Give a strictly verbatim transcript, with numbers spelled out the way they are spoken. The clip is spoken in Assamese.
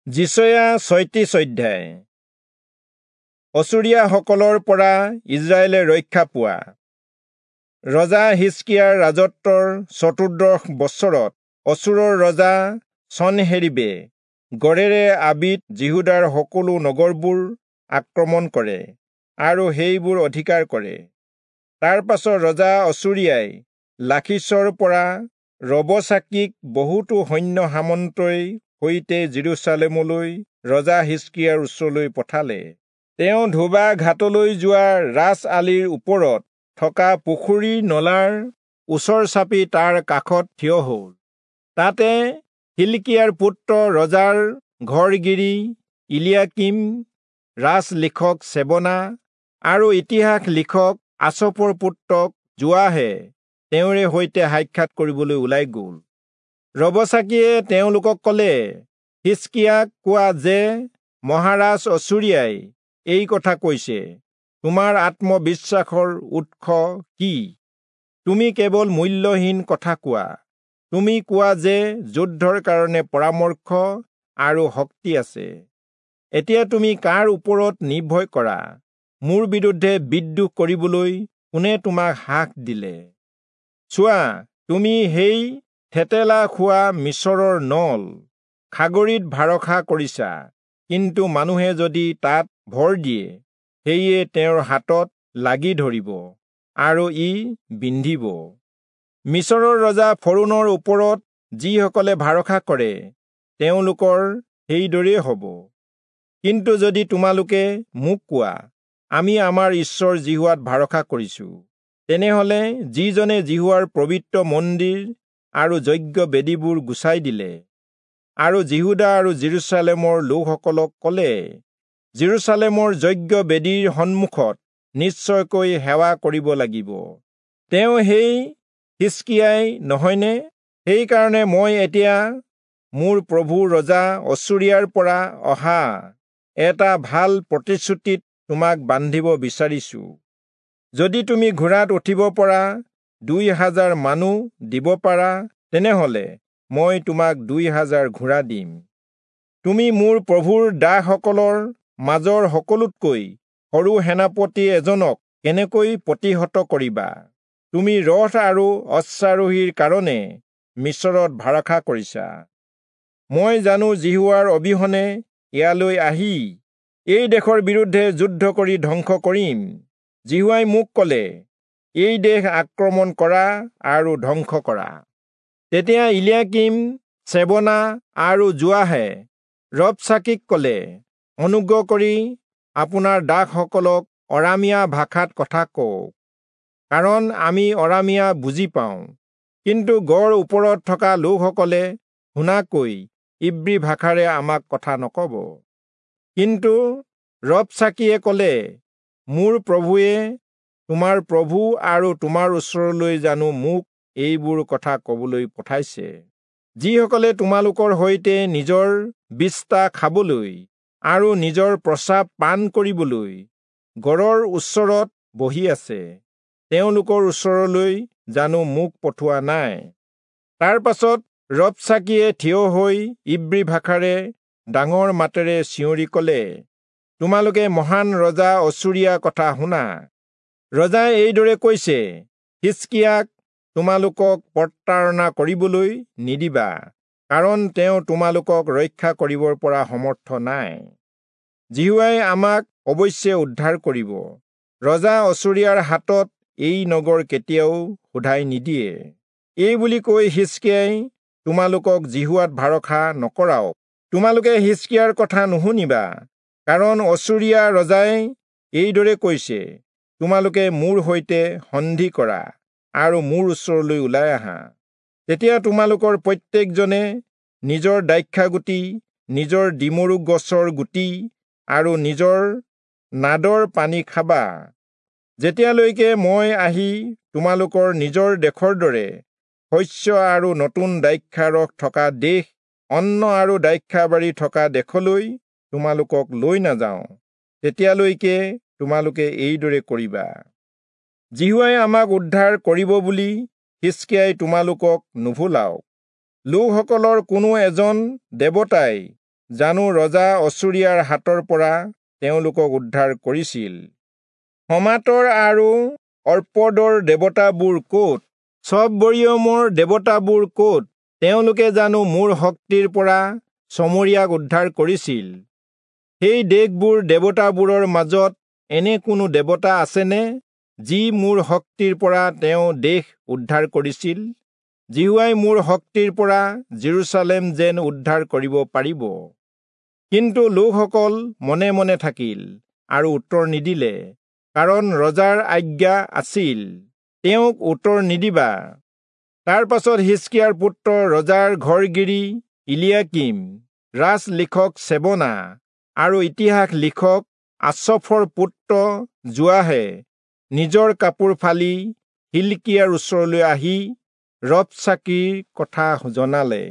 যিচয়া ছয়ত্ৰিশ অধ্যায়। অচুৰীয়াসকলৰ পৰা ইস্ৰায়েলে ৰক্ষা পোৱা। ৰজা হিষ্কিয়াৰ ৰাজত্বৰ চতুৰ্দশ বছৰত অচুৰৰ ৰজা চনহেৰীবে গড়েৰে আবিত যিহূদাৰ সকলো নগৰবোৰ আক্ৰমণ কৰে আৰু সেইবোৰ অধিকাৰ কৰে। তাৰ পাছত ৰজা অচুৰীয়াই লাখীচৰ পৰা ৰবচাকিক বহুতো সৈন্য সামন্তই সৈতে যিৰূচালেমলৈ ৰজা হিষ্কিয়াৰ ওচৰলৈ পঠালে। তেওঁ ধোবা ঘাটলৈ যোৱা ৰাজ আলিৰ ওপৰত থকা পুখুৰীৰ নলাৰ ওচৰ চাপি তাৰ কাষত থিয় হ'ল। তাতে হিলকিয়াৰ পুত্ৰ ৰজাৰ ঘৰগিৰী ইলিয়াকীম, ৰাজ লিখক চেবনা আৰু ইতিহাস লিখক আচফৰ পুত্ৰক যোৱাহে তেওঁৰে সৈতে সাক্ষাৎ কৰিবলৈ ওলাই গ'ল। ৰবচাকিয়ে তেওঁলোকক ক'লে, হিষ্কিয়াক কোৱা যে মহাৰাজ অচুৰীয়াই এই কথা কৈছে, তোমাৰ আত্মবিশ্বাসৰ উৎস কি? তুমি কেৱল মূল্যহীন কথা কোৱা। তুমি কোৱা যে যুদ্ধৰ কাৰণে পৰামৰ্শ আৰু শক্তি আছে। এতিয়া তুমি কাৰ ওপৰত নিৰ্ভৰ কৰা? মোৰ বিৰুদ্ধে বিদ্ৰোহ কৰিবলৈ কোনে তোমাক সাহ দিলে? চোৱা, তুমি সেই থেতেলা খোৱা মিচৰৰ নল খাগৰিত ভাৰসা কৰিছা, কিন্তু মানুহে যদি তাত ভৰ দিয়ে, সেয়ে তেওঁৰ হাতত লাগি ধৰিব আৰু ই বিন্ধিব। মিচৰৰ ৰজা ফৰোণৰ ওপৰত যিসকলে ভাৰসা কৰে, তেওঁলোকৰ সেইদৰেই হ'ব। কিন্তু যদি তোমালোকে মোক কোৱা, আমি আমাৰ ঈশ্বৰ যিহোৱাত ভাৰসা কৰিছো, তেনেহলে যিজনে যিহোৱাৰ পবিত্ৰ মন্দিৰ আৰু যজ্ঞ বেদীবোৰ গুচাই দিলে আৰু যিহূদা আৰু যিৰূচালেমৰ লোকসকলক ক'লে, যিৰূচালেমৰ যজ্ঞ বেদীৰ সন্মুখত নিশ্চয়কৈ সেৱা কৰিব লাগিব, তেওঁ সেই হিষ্কিয়াই নহয়নে? সেইকাৰণে মই এতিয়া মোৰ প্ৰভু ৰজা অচুৰীয়াৰ পৰা অহা এটা ভাল প্ৰতিশ্ৰুতিত তোমাক বান্ধিব বিচাৰিছো। যদি তুমি ঘোঁৰাত উঠিব পৰা দুই হাজাৰ মানুহ দিব পাৰা, তেনেহলে মই তোমাক দুই হাজাৰ ঘোঁৰা দিম। তুমি মোৰ প্ৰভুৰ দাসসকলৰ মাজৰ সকলোতকৈ সৰু সেনাপতি এজনক কেনেকৈ প্ৰতিহত কৰিবা? তুমি ৰথ আৰু অশ্বাৰোহীৰ কাৰণে মিচৰত ভাৰসা কৰিছা। মই জানো যিহোৱাৰ অবিহনে ইয়ালৈ আহি এই দেশৰ বিৰুদ্ধে যুদ্ধ কৰি ধ্বংস কৰিম। যিহোৱাই মোক ক'লে, এই দেশ আক্ৰমণ কৰা আৰু ধ্বংস কৰা। তেতিয়া ইলিয়াকীম, চেবনা আৰু যোৱাহে ৰবচাকিক ক'লে, অনুগ্ৰহ কৰি আপোনাৰ দাসসকলক অৰামীয়া ভাষাত কথা কওক, কাৰণ আমি অৰামীয়া বুজি পাওঁ, কিন্তু গড় ওপৰত থকা লোকসকলে শুনাকৈ ইব্ৰী ভাষাৰে আমাক কথা নক'ব। কিন্তু ৰবচাকিয়ে ক'লে, মোৰ প্ৰভুৱে তোমাৰ প্ৰভু আৰু তোমাৰ ওচৰলৈ জানো মোক এইবোৰ কথা ক'বলৈ পঠাইছে? যিসকলে তোমালোকৰ সৈতে নিজৰ বিষ্ঠা খাবলৈ আৰু নিজৰ প্ৰস্ৰাৱ পান কৰিবলৈ গড়ৰ ওচৰত বহি আছে, তেওঁলোকৰ ওচৰলৈ জানো মোক পঠোৱা নাই? তাৰ পাছত ৰবচাকিয়ে থিয় হৈ ইব্ৰী ভাষাৰে ডাঙৰ মাতেৰে চিঞৰি ক'লে, তোমালোকে মহান ৰজা অচুৰীয়া কথা শুনা। ৰজাই এইদৰে কৈছে, হিষ্কিয়াক তোমালোকক প্ৰতাৰণা কৰিবলৈ নিদিবা, কাৰণ তেওঁ তোমালোকক ৰক্ষা কৰিবৰ পৰা সমৰ্থ নাই। যিহোৱাই আমাক অৱশ্যে উদ্ধাৰ কৰিব। ৰজা অচুৰীয়াৰ হাতত এই নগৰ কেতিয়াও সোধাই নিদিয়ে। এই বুলি কৈ হিষ্কিয়াই তোমালোকক যিহোৱাত ভাৰসা নকৰাওক। তোমালোকে হিষ্কিয়াৰ কথা নুশুনিবা, কাৰণ অচুৰীয়া ৰজাই এইদৰে কৈছে, তোমালোকে মোৰ সৈতে সন্ধি কৰা আৰু মোৰ ওচৰলৈ ওলাই আহা। তেতিয়া তোমালোকৰ প্ৰত্যেকজনে নিজৰ দ্ৰাক্ষাগুটি, নিজৰ ডিমৰু গছৰ গুটি আৰু নিজৰ নাদৰ পানী খাবা, যেতিয়ালৈকে মই আহি তোমালোকৰ নিজৰ দেশৰ দৰে শস্য আৰু নতুন দ্ৰাক্ষাৰস থকা দেশ, অন্ন আৰু দ্ৰাক্ষাবাৰী থকা দেশলৈ তোমালোকক লৈ নাযাওঁ, তেতিয়ালৈকে তোমালোকে এইদৰে কৰিবা। যিহোৱাই আমাক উদ্ধাৰ কৰিব বুলি হিষ্কিয়াই তোমালোকক নুভুলাওক। লোকসকলৰ কোনো এজন দেৱতাই জানো ৰজা অচুৰীয়াৰ হাতৰ পৰা তেওঁলোকক উদ্ধাৰ কৰিছিল? হমাতৰ আৰু অৰ্পদৰ দেৱতাবোৰ ক'ত? চববৰীয়মৰ দেৱতাবোৰ ক'ত? তেওঁলোকে জানো মোৰ শক্তিৰ পৰা চমৰীয়াক উদ্ধাৰ কৰিছিল? সেই দেশবোৰ দেৱতাবোৰৰ মাজত এনে কোনো দেৱতা আছেনে, যি মোৰ শক্তিৰ পৰা তেওঁ দেশ উদ্ধাৰ কৰিছিল? যিহোৱাই মোৰ শক্তিৰ পৰা যিৰূচালেম যেন উদ্ধাৰ কৰিব পাৰিব। কিন্তু লোকসকল মনে মনে থাকিল আৰু উত্তৰ নিদিলে, কাৰণ ৰজাৰ আজ্ঞা আছিল, তেওঁক উত্তৰ নিদিবা। তাৰ পাছত হিষ্কিয়াৰ পুত্ৰ ৰজাৰ ঘৰগিৰী ইলিয়াকীম, ৰাজ লিখক চেবনা আৰু ইতিহাস লিখক আচফৰ পুত্ৰ যোৱাহে নিজৰ কাপোৰ ফালি হিল্কিয়াৰ ওচৰলৈ আহি ৰবচাকীৰ কথা জনালে।